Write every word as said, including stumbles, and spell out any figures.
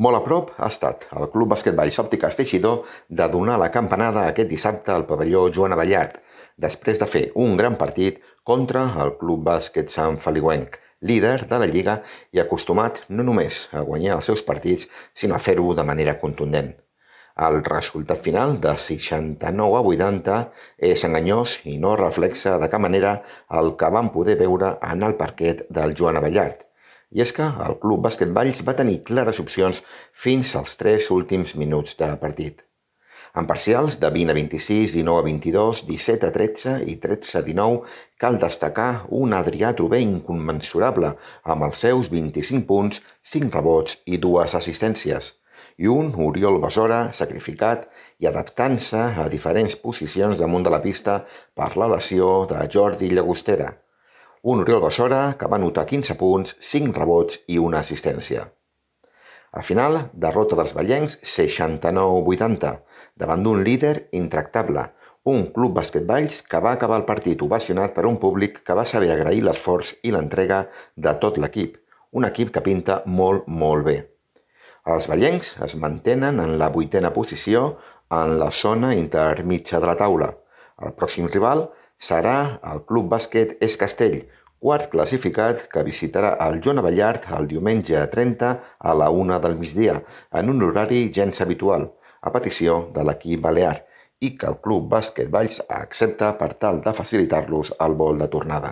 Molt a prop ha estat el Club Bàsquet Valls Òptiques Teixidor de donar la campanada aquest dissabte al pavelló Joan Abellart, després de fer un gran partit contra el Club Bàsquet Sant Feliuenc, líder de la Lliga i acostumat no només a guanyar els seus partits, sinó a fer-ho de manera contundent. El resultat final de seixanta-nou a vuitanta és enganyós i no reflexa de cap manera el que vam poder veure en el parquet del Joan Abellart. I és que el Club Bàsquet Valls va tenir clares opcions fins als tres últims minuts de partit. En parcials de vint a vint-i-sis, dinou a vint-i-dos, disset a tretze i tretze a dinou, cal destacar un Adrià Trober inconmensurable amb els seus vint-i-cinc punts, cinc rebots i dues assistències, i un Oriol Besora sacrificat i adaptant-se a diferents posicions damunt de la pista per la lesió de Jordi Llagostera. Un Oriol Besora que va anotar quinze punts, cinc rebots i una assistència. Al final, derrota dels vallencs seixanta-nou a vuitanta, davant d'un líder intractable, un Club Bàsquet Valls que va acabar el partit ovacionat per un públic que va saber agrair l'esforç i l'entrega de tot l'equip, un equip que pinta molt, molt bé. Els vallencs es mantenen en la vuitena posició en la zona intermitja de la taula. El pròxim rival serà el Club Bàsquet Es Castell, quart classificat que visitarà el Joan Abellart el diumenge trenta a la una del migdia, en un horari gens habitual, a petició de l'equip balear, i que el Club Bàsquet Valls accepta per tal de facilitar-los el vol de tornada.